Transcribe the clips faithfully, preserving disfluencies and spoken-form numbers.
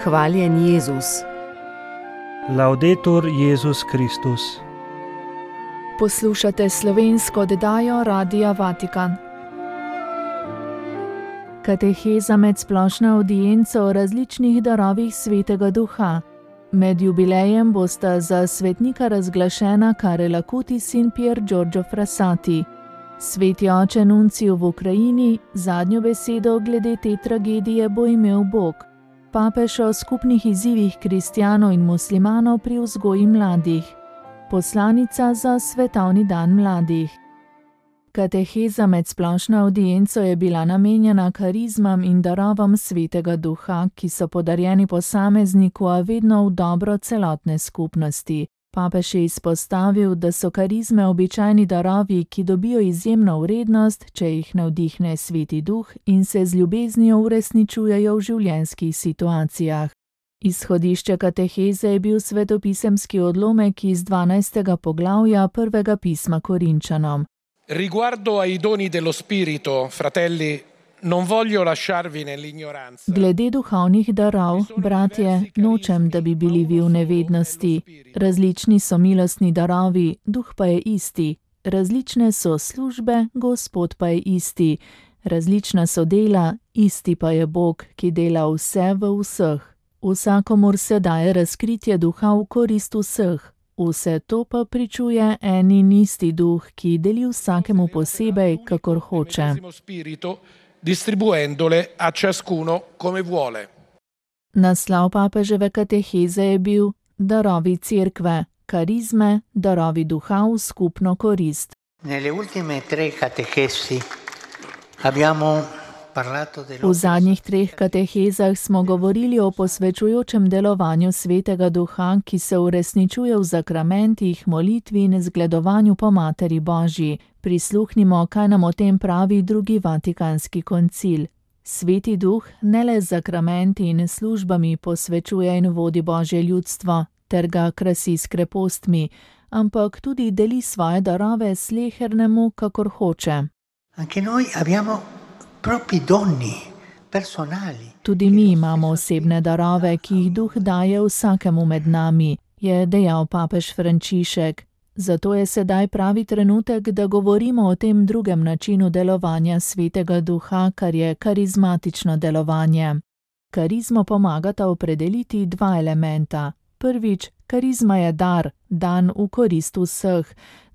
Hvaljen Jezus. Laudetur Jezus Kristus. Poslušate slovensko oddajo Radia Vatikan. Kateheza med splošno avdienco o različnih darovih Svetega Duha. Med jubilejem bosta za svetnika razglašena Karel Acutis in Pier Giorgio Frassati. Sveti oče Nunciju v Ukrajini zadnjo besedo glede te tragedije bo imel Bog. Papež o skupnih izzivih kristjanov in muslimanov pri vzgoji mladih. Poslanica za svetovni dan mladih. Kateheza med splošno avdienco je bila namenjena karizmam in darovom Svetega Duha, ki so podarjeni posamezniku, a vedno v dobro celotne skupnosti. Papež je izpostavil, da so karizme običajni darovi, ki dobijo izjemno vrednost, če jih navdihne Sveti Duh in se z ljubeznijo uresničujejo v življenjskih situacijah. Izhodišče kateheze je bil svetopisemski odlomek iz dvanajstega poglavja prvega pisma Korinčanom. Riguardo ai doni dello spirito, fratelli, non voglio lasciarvi nell'ignoranza. Glede duhovnih darov, bratje, nočem, da bi bili vi v nevednosti. Različni so milostni darovi, duh pa je isti. Različne so službe, Gospod pa je isti. Različna so dela, isti pa je Bog, ki dela vse v vseh. Vsakomur se daje razkritje duha v korist vseh. Vse to pa pričuje en in isti duh, ki deli vsakemu posebej, kakor hoče. Distribuendole a ciascuno come vuole. Naslov papeževe kateheze je bil Darovi cerkve, karizme, darovi duha v skupno korist. Nelle ultime tre catechesi abbiamo parlato dello... V zadnjih treh katehezah smo govorili o posvečujočem delovanju Svetega Duha, ki se uresničuje v zakramentih, molitvi in zgledovanju po Materi Božji. Prisluhnimo, kaj nam o tem pravi drugi vatikanski koncil. Sveti Duh ne le z zakramenti in službami posvečuje in vodi Božje ljudstvo, ter ga krasi s krepostmi, ampak tudi deli svoje darove slehernemu, kakor hoče. Anche noi abbiamo propri doni personali. Tudi mi imamo osebne darove, ki jih Duh daje vsakemu med nami, je dejal papež Frančišek. Zato je sedaj pravi trenutek, da govorimo o tem drugem načinu delovanja Svetega Duha, kar je karizmatično delovanje. Karizmo pomagata opredeliti dva elementa. Prvič, karizma je dar, dan v korist vseh,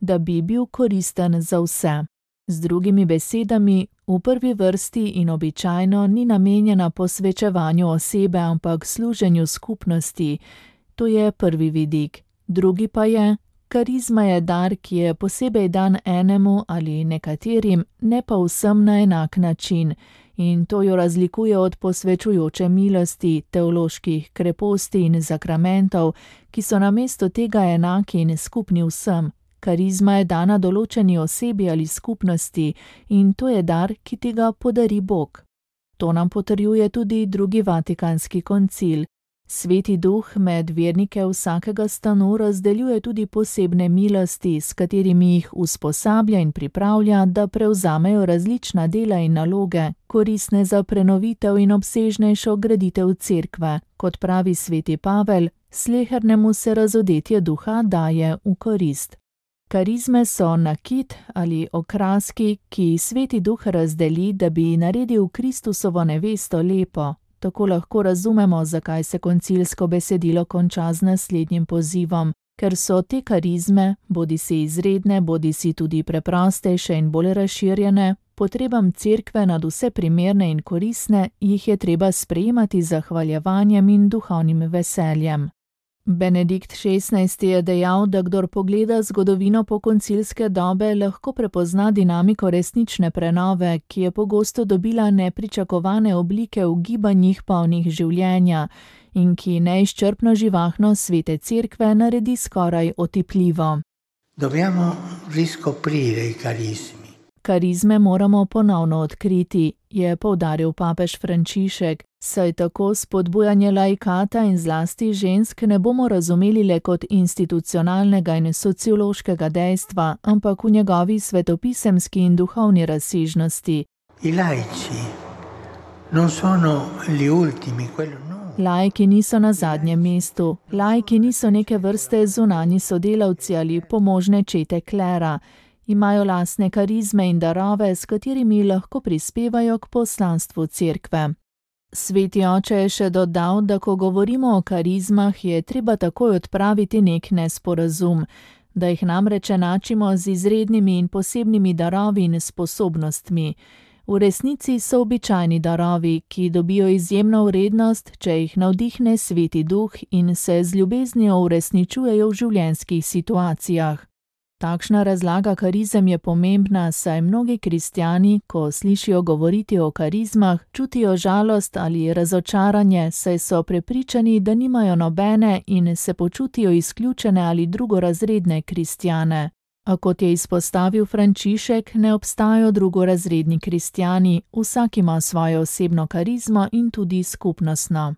da bi bil koristen za vse. Z drugimi besedami, v prvi vrsti in običajno ni namenjena posvečevanju osebe, ampak služenju skupnosti. To je prvi vidik. Drugi pa je, karizma je dar, ki je posebej dan enemu ali nekaterim, ne pa vsem na enak način, in to jo razlikuje od posvečujoče milosti, teoloških kreposti in zakramentov, ki so namesto tega enaki in skupni vsem. Karizma je dana določeni osebi ali skupnosti in to je dar, ki ti ga podari Bog. To nam potrjuje tudi drugi vatikanski koncil. Sveti Duh med vernike vsakega stanu razdeljuje tudi posebne milosti, s katerimi jih usposablja in pripravlja, da prevzamejo različna dela in naloge, koristne za prenovitev in obsežnejšo graditev cerkve. Kot pravi sveti Pavel, slehernemu se razodetje duha daje v korist. Karizme so nakit ali okraski, ki Sveti Duh razdeli, da bi naredil Kristusovo nevesto lepo. Tako lahko razumemo, zakaj se koncilsko besedilo konča z naslednjim pozivom, ker so te karizme, bodisi izredne, bodisi tudi preprostejše in bolj razširjene, potrebam cerkve nad vse primerne in koristne, jih je treba sprejemati z zahvaljevanjem in duhovnim veseljem. Benedikt šestnajsti je dejal, da kdor pogleda zgodovino pokoncilske dobe, lahko prepozna dinamiko resnične prenove, ki je pogosto dobila nepričakovane oblike v gibanjih polnih življenja in ki neizčrpno živahno Svete Cerkve naredi skoraj otipljivo. Dobbiamo riscoprire i carismi. Karizme moramo ponovno odkriti, je poudaril papež Frančišek, saj tako spodbujanje laikata in zlasti žensk ne bomo razumeli le kot institucionalnega in sociološkega dejstva, ampak v njegovi svetopisemski in duhovni razsežnosti. I laici non sono gli ultimi, quello no. Laiki niso na zadnjem mestu, laiki niso neke vrste zunanji sodelavci ali pomožne čete klera. Imajo lastne karizme in darove, s katerimi lahko prispevajo k poslanstvu cerkve. Sveti oče je še dodal, da ko govorimo o karizmah, je treba takoj odpraviti nek nesporazum, da jih namreč enačimo z izrednimi in posebnimi darovi in sposobnostmi. V resnici so običajni darovi, ki dobijo izjemno vrednost, če jih navdihne Sveti Duh in se z ljubeznijo uresničujejo v življenjskih situacijah. Takšna razlaga karizem je pomembna, saj mnogi kristjani, ko slišijo govoriti o karizmah, čutijo žalost ali razočaranje, saj so prepričani, da nimajo nobene in se počutijo izključene ali drugorazredne kristjane. A kot je izpostavil Frančišek, ne obstajajo drugorazredni kristjani, vsak ima svojo osebno karizmo in tudi skupnostno.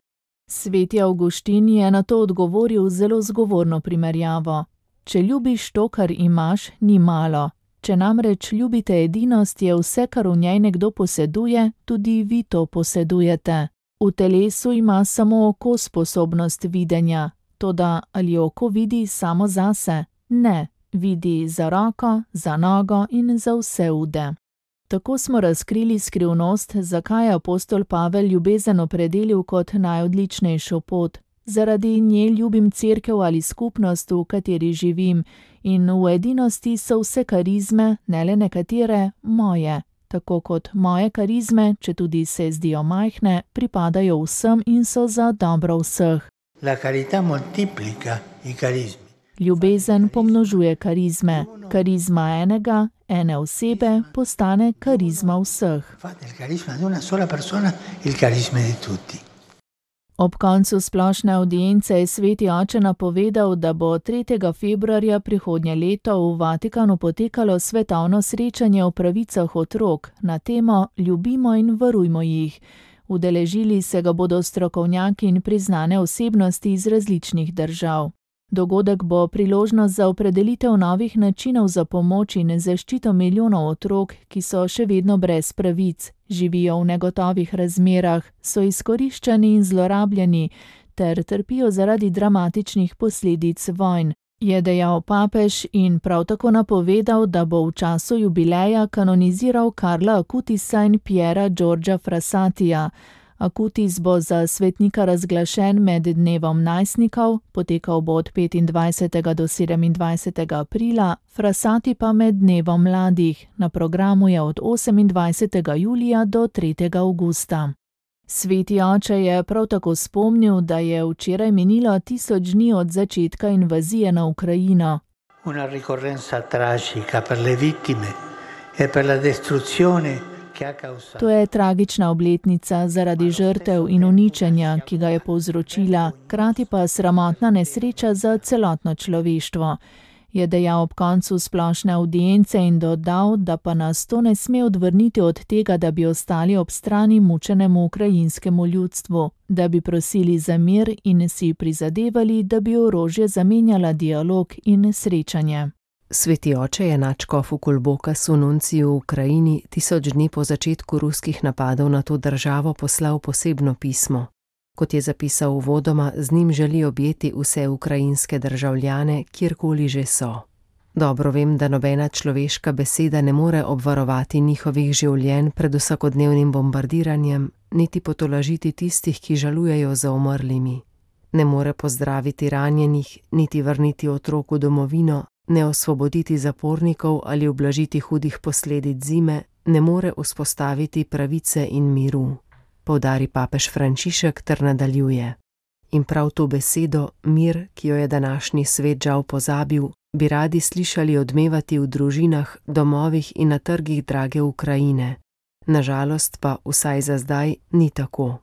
Sveti Avguštin je na to odgovoril zelo zgovorno primerjavo. Če ljubiš to, kar imaš, ni malo. Če namreč ljubite edinost, je vse, kar v njej nekdo poseduje, tudi vi to posedujete. V telesu ima samo oko sposobnost videnja. Toda ali oko vidi samo zase? Ne, vidi za roko, za nogo in za vse ude. Tako smo razkrili skrivnost, zakaj je apostol Pavel ljubezen opredelil kot najodličnejšo pot. Zaradi nje ljubim cerkev ali skupnost, v kateri živim, in v edinosti so vse karizme, ne le nekatere, moje. Tako kot moje karizme, če tudi se zdijo majhne, pripadajo vsem in so za dobro vseh. La carità moltiplica i carismi. Ljubezen pomnožuje karizme. Karizma enega, ene osebe, postane karizma vseh. Fate il carisma di una sola persona, il carisma di tutti. Ob koncu splošne avdience je Sveti oče napovedal, da bo tretjega februarja prihodnje leto v Vatikanu potekalo svetovno srečanje o pravicah otrok na temo Ljubimo in varujmo jih. Udeležili se ga bodo strokovnjaki in priznane osebnosti iz različnih držav. Dogodek bo priložnost za opredelitev novih načinov za pomoč in zaščito milijonov otrok, ki so še vedno brez pravic, živijo v negotovih razmerah, so izkoriščani in zlorabljeni ter trpijo zaradi dramatičnih posledic vojn, je dejal papež in prav tako napovedal, da bo v času jubileja kanoniziral Karla Acutisa in Piera Giorgia Frassatija. Acutis bo za svetnika razglašen med dnevom najstnikov, potekal bo od petindvajsetega do sedemindvajsetega aprila, Frassati pa med dnevom mladih, na programu je od osemindvajsetega julija do tretjega avgusta. Sveti oče je prav tako spomnil, da je včeraj minilo tisoč dni od začetka invazije na Ukrajino. Una ricorrenza tragica per le vittime e per la distruzione. To je tragična obletnica zaradi žrtev in uničenja, ki ga je povzročila, krati pa sramotna nesreča za celotno človeštvo, je dejal ob koncu splošne avdience in dodal, da pa nas to ne sme odvrniti od tega, da bi ostali ob strani mučenemu ukrajinskemu ljudstvu, da bi prosili za mir in si prizadevali, da bi orožje zamenjala dialog in srečanje. Sveti oče je nadškofu Kulbokasu nunciju v Ukrajini tisoč dni po začetku ruskih napadov na to državo poslal posebno pismo. Kot je zapisal uvodoma, z njim želi objeti vse ukrajinske državljane, kjerkoli že so. Dobro vem, da nobena človeška beseda ne more obvarovati njihovih življenj pred vsakodnevnim bombardiranjem, niti potolažiti tistih, ki žalujejo za umrlimi. Ne more pozdraviti ranjenih, niti vrniti otrok v domovino, ne osvoboditi zapornikov ali ublažiti hudih posledic zime, ne more vzpostaviti pravice in miru, poudari papež Frančišek ter nadaljuje. In prav to besedo, mir, ki jo je današnji svet žal pozabil, bi radi slišali odmevati v družinah, domovih in na trgih drage Ukrajine. Nažalost pa, vsaj za zdaj, ni tako.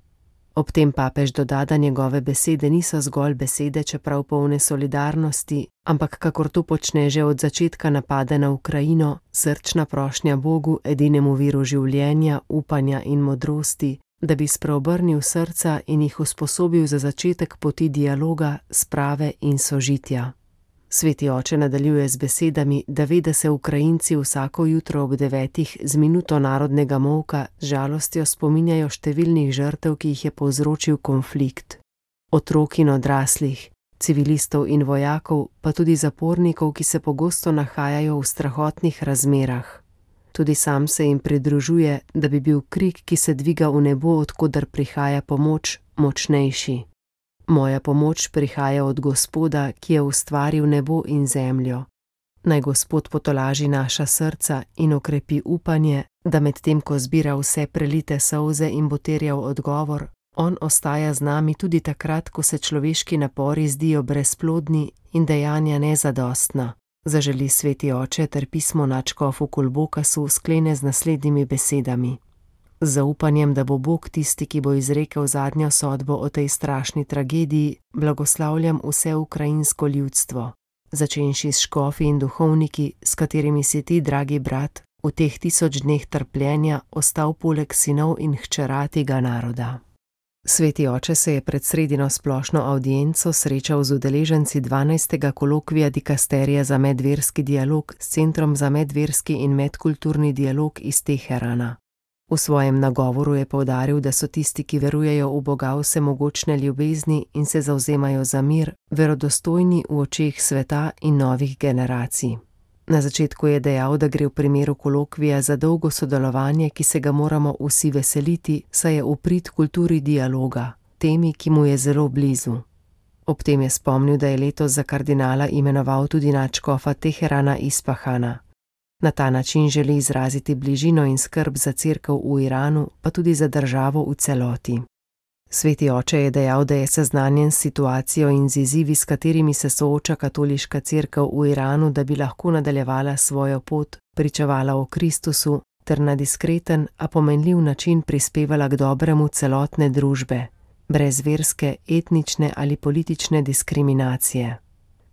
Ob tem papež doda, da njegove besede niso zgolj besede, čeprav polne solidarnosti, ampak kakor to počne že od začetka napada na Ukrajino, srčna prošnja Bogu, edinemu viru življenja, upanja in modrosti, da bi spreobrnil srca in jih usposobil za začetek poti dialoga, sprave in sožitja. Sveti oče nadaljuje z besedami, da ve, da se Ukrajinci vsako jutro ob devetih z minuto narodnega molka z žalostjo spominjajo številnih žrtev, ki jih je povzročil konflikt. Otrok in odraslih, civilistov in vojakov, pa tudi zapornikov, ki se pogosto nahajajo v strahotnih razmerah. Tudi sam se jim pridružuje, da bi bil krik, ki se dviga v nebo, od koder prihaja pomoč, močnejši. Moja pomoč prihaja od Gospoda, ki je ustvaril nebo in zemljo. Naj Gospod potolaži naša srca in okrepi upanje, da medtem ko zbira vse prelite solze in bo terjal odgovor, on ostaja z nami tudi takrat, ko se človeški napori zdijo brezplodni in dejanja nezadostna. Zaželi sveti oče ter pismo nadškofu Kulbokasu sklene z naslednjimi besedami. Z zaupanjem, da bo Bog tisti, ki bo izrekel zadnjo sodbo o tej strašni tragediji, blagoslavljam vse ukrajinsko ljudstvo, začenši s škofi in duhovniki, s katerimi si ti, dragi brat, v teh tisoč dneh trpljenja ostal poleg sinov in hčera tega naroda. Sveti oče se je pred sredino splošno avdienco srečal z udeleženci dvanajstega kolokvija dikasterija za medverski dialog s Centrom za medverski in medkulturni dialog iz Teherana. V svojem nagovoru je poudaril, da so tisti, ki verujejo v Boga vsemogočne ljubezni in se zavzemajo za mir, verodostojni v očeh sveta in novih generacij. Na začetku je dejal, da gre v primeru kolokvija za dolgo sodelovanje, ki se ga moramo vsi veseliti, saj je v prid kulturi dialoga, temi, ki mu je zelo blizu. Ob tem je spomnil, da je letos za kardinala imenoval tudi nadškofa Teherana Ispahana. Na ta način želi izraziti bližino in skrb za cerkev v Iranu, pa tudi za državo v celoti. Sveti oče je dejal, da je seznanjen s situacijo in z izzivi, s katerimi se sooča katoliška cerkev v Iranu, da bi lahko nadaljevala svojo pot, pričevala o Kristusu ter na diskreten, a pomenljiv način prispevala k dobremu celotne družbe, brez verske, etnične ali politične diskriminacije.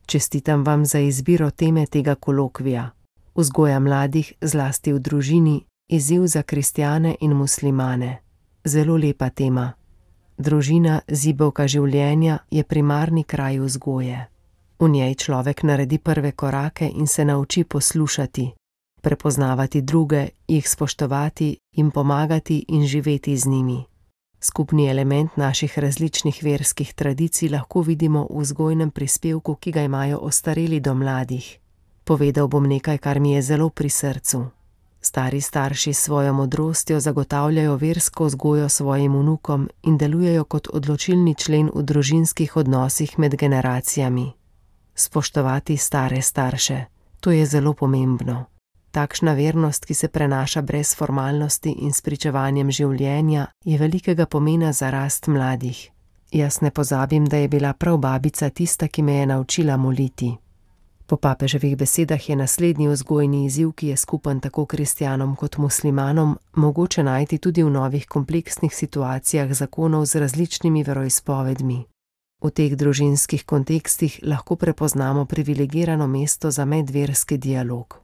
Čestitam vam za izbiro teme tega kolokvija. Vzgoja mladih, zlasti v družini, izziv za kristjane in muslimane. Zelo lepa tema. Družina, zibelka življenja, je primarni kraj vzgoje. V njej človek naredi prve korake in se nauči poslušati, prepoznavati druge, jih spoštovati, jim pomagati in živeti z njimi. Skupni element naših različnih verskih tradicij lahko vidimo v vzgojnem prispevku, ki ga imajo ostareli do mladih. Povedal bom nekaj, kar mi je zelo pri srcu. Stari starši s svojo modrostjo zagotavljajo versko vzgojo svojim vnukom in delujejo kot odločilni člen v družinskih odnosih med generacijami. Spoštovati stare starše, to je zelo pomembno. Takšna vernost, ki se prenaša brez formalnosti in s pričevanjem življenja, je velikega pomena za rast mladih. Jaz ne pozabim, da je bila prav babica tista, ki me je naučila moliti. Po papeževih besedah je naslednji vzgojni izziv, ki je skupen tako kristjanom kot muslimanom, mogoče najti tudi v novih kompleksnih situacijah zakonov z različnimi veroizpovedmi. V teh družinskih kontekstih lahko prepoznamo privilegirano mesto za medverski dialog.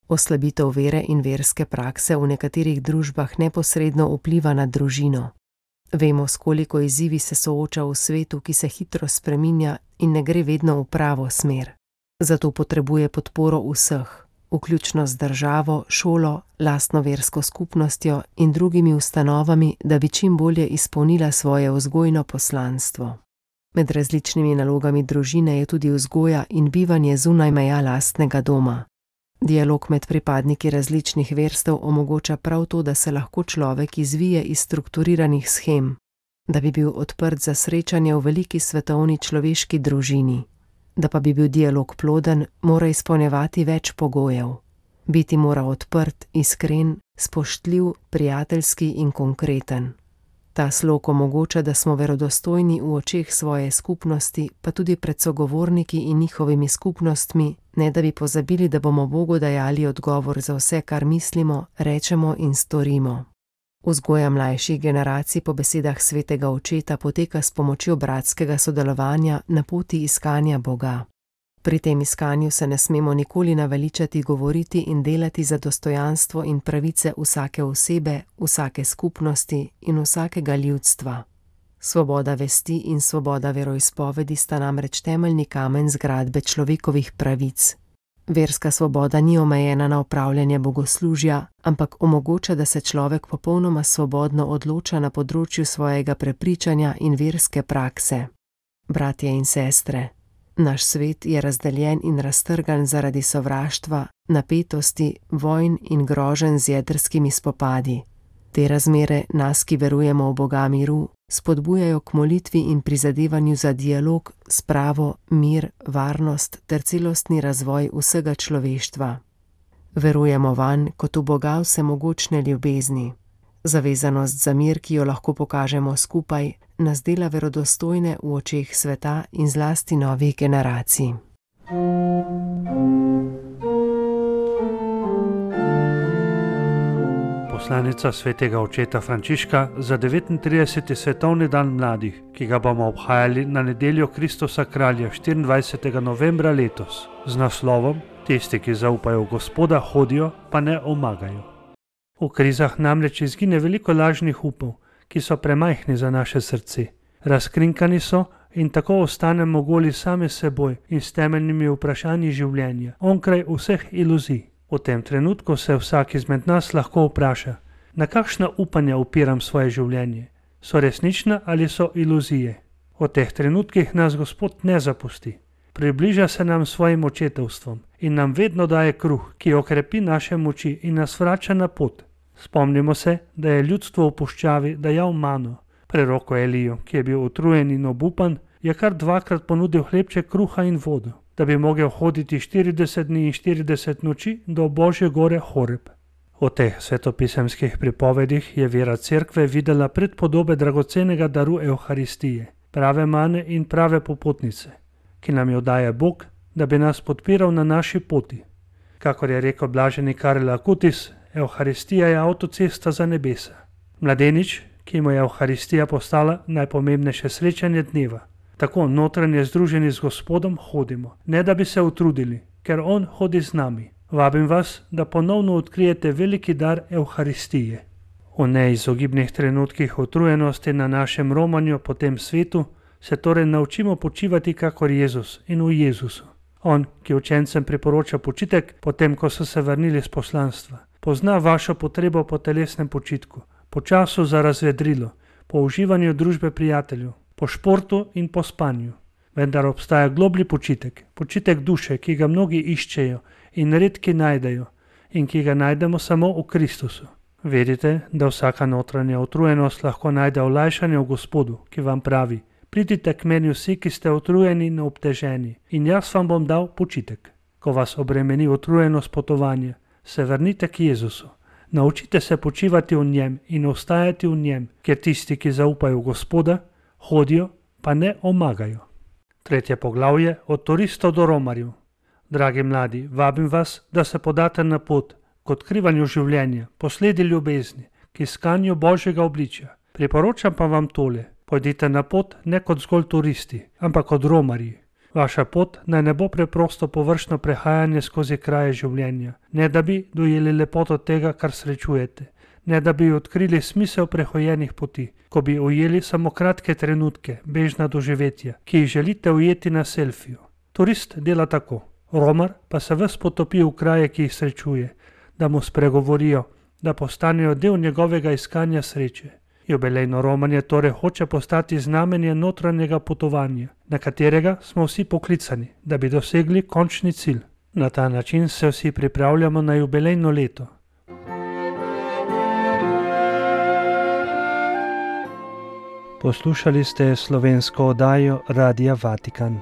Oslabitev vere in verske prakse v nekaterih družbah neposredno vpliva na družino. Vemo, s koliko izzivi se sooča v svetu, ki se hitro spreminja in ne gre vedno v pravo smer. Zato potrebuje podporo vseh, vključno z državo, šolo, lastno versko skupnostjo in drugimi ustanovami, da bi čim bolje izpolnila svoje vzgojno poslanstvo. Med različnimi nalogami družine je tudi vzgoja in bivanje zunaj meja lastnega doma. Dialog med pripadniki različnih verstev omogoča prav to, da se lahko človek izvije iz strukturiranih shem, da bi bil odprt za srečanje v veliki svetovni človeški družini. Da pa bi bil dialog ploden, mora izpolnjevati več pogojev. Biti mora odprt, iskren, spoštljiv, prijateljski in konkreten. Ta slog omogoča, da smo verodostojni v očeh svoje skupnosti, pa tudi pred sogovorniki in njihovimi skupnostmi, ne da bi pozabili, da bomo Bogu dajali odgovor za vse, kar mislimo, rečemo in storimo. Vzgoja mlajših generacij po besedah svetega očeta poteka s pomočjo bratskega sodelovanja na poti iskanja Boga. Pri tem iskanju se ne smemo nikoli naveličati govoriti in delati za dostojanstvo in pravice vsake osebe, vsake skupnosti in vsakega ljudstva. Svoboda vesti in svoboda veroizpovedi sta namreč temeljni kamen zgradbe človekovih pravic. Verska svoboda ni omejena na opravljanje bogoslužja, ampak omogoča, da se človek popolnoma svobodno odloča na področju svojega prepričanja in verske prakse. Bratje in sestre, naš svet je razdeljen in raztrgan zaradi sovraštva, napetosti, vojn in groženj z jedrskimi spopadi. Te razmere nas, ki verujemo v Boga miru, spodbujajo k molitvi in prizadevanju za dialog, spravo, mir, varnost ter celostni razvoj vsega človeštva. Verujemo vanj kot v Boga vsemogočne ljubezni. Zavezanost za mir, ki jo lahko pokažemo skupaj, nas dela verodostojne v očeh sveta in zlasti novih generacij. Poslanica svetega očeta Frančiška za devetintrideseti svetovni dan mladih, ki ga bomo obhajali na nedeljo Kristusa kralja štiriindvajsetega novembra letos, z naslovom Tisti, ki zaupajo v Gospoda, hodijo, pa ne omagajo. V krizah namreč izgine veliko lažnih upov, ki so premajhni za naše srce. Razkrinkani so in tako ostanemo goli same seboj in s temeljnimi vprašanji življenja, onkraj vseh iluzij. V tem trenutku se vsak izmed nas lahko vpraša, na kakšna upanja upiram svoje življenje, so resnična ali so iluzije. V teh trenutkih nas Gospod ne zapusti. Približa se nam svojim očetovstvom in nam vedno daje kruh, ki okrepi naše moči in nas vrača na pot. Spomnimo se, da je ljudstvo v puščavi dajal mano. Preroko Elijo, ki je bil utrujen in obupan, je kar dvakrat ponudil hlebček kruha in vodo, da bi mogel hoditi štirideset dni in štirideset noči do Božje gore Horeb. V teh svetopisemskih pripovedih je vera cerkve videla predpodobe dragocenega daru Evharistije, prave mane in prave popotnice, ki nam jo daje Bog, da bi nas podpiral na naši poti. Kakor je rekel blaženi Karel Acutis, Evharistija je avtocesta za nebesa. Mladenič, ki mu je Evharistija postala najpomembnejše srečanje dneva. Tako notranje združeni z Gospodom hodimo, ne da bi se utrudili, ker On hodi z nami. Vabim vas, da ponovno odkrijete veliki dar Evharistije. V neizogibnih trenutkih utrujenosti na našem romanju po tem svetu se torej naučimo počivati kakor Jezus in v Jezusu. On, ki učencem priporoča počitek, potem ko so se vrnili z poslanstva, pozna vašo potrebo po telesnem počitku, po času za razvedrilo, po uživanju družbe prijateljev, po športu in po spanju. Vendar obstaja globlji počitek, počitek duše, ki ga mnogi iščejo in redki najdejo in ki ga najdemo samo v Kristusu. Vedite, da vsaka notranja utrujenost lahko najde olajšanje v Gospodu, ki vam pravi: pridite k meni vsi, ki ste utrujeni in obteženi, in jaz vam bom dal počitek. Ko vas obremeni utrujenost potovanja, se vrnite k Jezusu. Naučite se počivati v njem in ostajati v njem, ker tisti, ki zaupajo v Gospoda, hodijo, pa ne omagajo. Tretje poglavje, od turistov do romarjev. Dragi mladi, vabim vas, da se podate na pot k odkrivanju življenja, posledi ljubezni, k iskanju Božjega obličja. Priporočam pa vam tole: pojdite na pot ne kot zgolj turisti, ampak kot romarji. Vaša pot naj ne bo preprosto površno prehajanje skozi kraje življenja, ne da bi dojeli lepoto tega, kar srečujete, ne da bi odkrili smisel prehojenih poti, ko bi ujeli samo kratke trenutke, bežna doživetja, ki jih želite ujeti na selfiju. Turist dela tako, romar pa se ves potopi v kraje, ki jih srečuje, da mu spregovorijo, da postanejo del njegovega iskanja sreče. Jubilejno romanje torej hoče postati znamenje notranjega potovanja, na katerega smo vsi poklicani, da bi dosegli končni cilj. Na ta način se vsi pripravljamo na jubilejno leto. Poslušali ste slovensko oddajo Radia Vatikan.